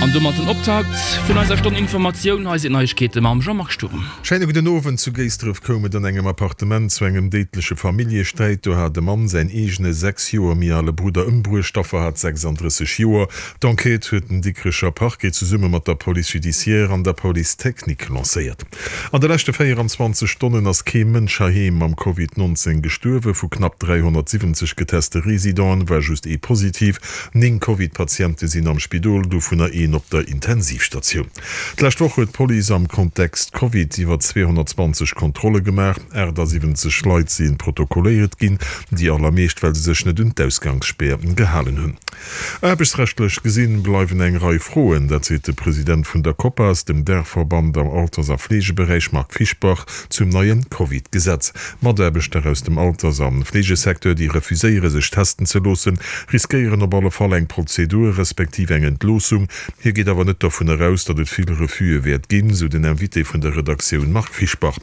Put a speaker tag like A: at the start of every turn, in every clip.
A: An domat den Optakt vun eiser Stonn Informatioun. Hei sinn d'Neiegkeete mam Jean-Marc Sturm.
B: Schéine gudden Owend. Zu Géisdref koum et an engem Appartement zu engem déidleche Familljesträit. Do hat e Mann säin eegene 6 Joer méi ale Brudder ëmbruecht. D'Affer hat 36 Joer. D'Enquête huet den Dikrecher Parquet zesumme mat der Police judiciaire an der Police technique lancéiert. An de leschte 24 Stonnen ass kee Mënsch heiheem mam Covid 19 gestuerwen. Vu knapp 370 geteste Residenten war just ee positiv. 9 Covid-Patiente sinn am Spidol, dovunner een op der Intensivstatioun. D'lescht Woch huet d'Police am Kontext Covid iwwer 220 Kontrolle gemaach. 78 Leit si protokolléiert ginn, déi allermeescht well se sech net un d'Ausgangsspär gehalen hunn. Aarbechtsrechtlech gesinn bleiwen eng Rei Froen, dat seet de President vun der Copas, dem Daachverband am Alters a Fleegeberäich Marc Fischbach zum neie Covid-Gesetz. Mataarbechter aus dem Alters a Fleegesecteur, déi refuséiere sech testen ze loossen, riskéieren op alle Fall eng Prozedur, respektiv eng Entloossung. Hie geet awer net dovun eraus, datt et vill Refuse wäert ginn, sou den Invité vun der Redaktioun Marc Fischbach.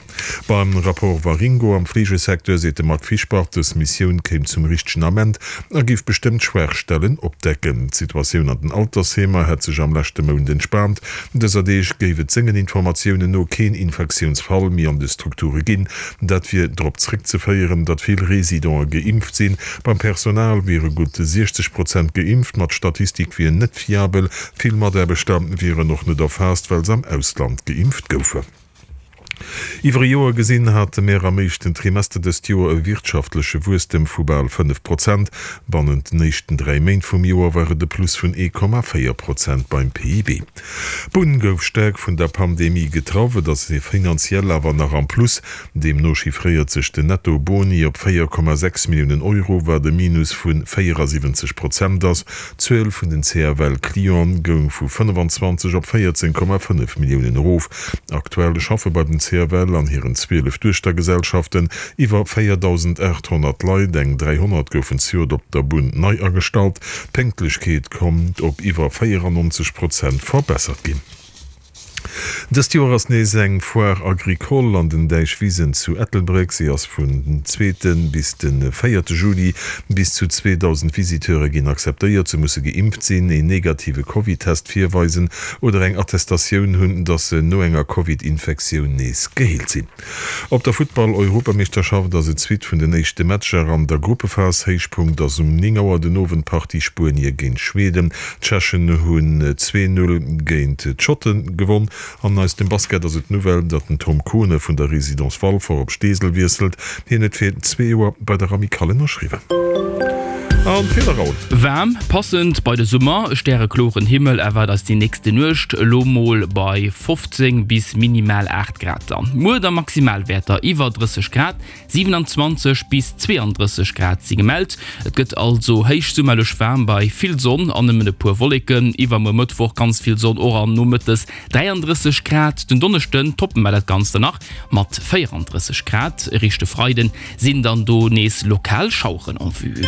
B: Beim Rapport Waringo am Fleegesecteur seet de Marc Fischbach, dës Missioun kéim zum richtegen Ament a géif bestëmmt Schwaachstellen opdecken. D'Situatioun an den Altersheemer hätt sech am leschte Mount entspaant. Dëser Deeg géif et sengen Informatiounen no keen Infektiounsfall méi an de Strukture ginn. Dat wier drop zréckzeféieren, datt vill Residente geimpft sinn. Beim Personal wiere gutt 60 Prozent geimpft, ma d'Statistik wier net fiabel. Vill Mataarbechter wieren och net erfaasst, well se am Ausland geimpft goufen. Iwwer e Joer gesinn hate mär am éischten Trimester dëst Joer e wirtschaftleche Wuesstem vu bal 5 Prozent. Bannent den éischten 3 Méint vum Joer war et e Plus vun 1,4 Prozent beim PIB. D'Bunn gouf staark vun der Pandemie getraff, et ass finanziell awer nach am Plus. Deemno chiffréiert sech den Netto-Boni op 4,6 Milliounen Euro, wat e Minus vu 74 Prozent ass. D'Zuel vun den CFL-Clienten goung vu 25 op 14,5 Milliounen erof. Aktuell schaffe bei den CFL an hiren 12 Duechtergesellschaften iwwer 4.800 Leit, eng 300 goufen zejoert op der Bunn nei agestallt. D'Pénktlechkeet konnt op iwwer 94 Prozent verbessert ginn. Dëst Joer ass nees eng Foire Agricole an den Däichwisen zu Ettelbréck. Si ass vun zweete bis de véierte Juli. Bis zu 2.000 Visiteure ginn akzeptéiert. Se musse geimpft sinn, een negative Covid-Test virweisen oder eng Attestatioun hunn, datt se no enger Covid-Infektioun nees geheelt sinn. Op der Futtball-Europameeschterschaft ass et d'Suite vun den éischte Matcher an der Gruppephas. Héichpunkt ass um 9 Auer den Owend d'Partie Spuenie géint Schweden. D'Tschechen hunn 2, 0 géint d'Schotte gewonn. An aus dem Basket ass et d'Nouvelle, datt den Tom Kohne vun der Résidence Walfer op Steesel wiesselt. Hien huet fir zwee Joer bei der Amicale ënnerschriwwen. An d'Wieder haut?
A: Waarm, passend bei de Summer, stärekloren Himmel erwaart eis déi nächste Nuecht, elo mol bei 15 bis minimal 8 Grad. Dann muer da Maximalwäerter iwwer 30 Grad, 27 bis 32 Grad si gemellt. Et gëtt also héichsummerlech waarm bei vill Sonn an nëmmen e puer Wolleken. Iwwermuer Mëttwoch ganz vill Sonn och an nomëttes 33 Grad. Den Donneschden toppe mer dat Ganzt dann nach mat 34 Grad. Eréischt de Freiden sinn dann do nees lokal Schaueren en vue.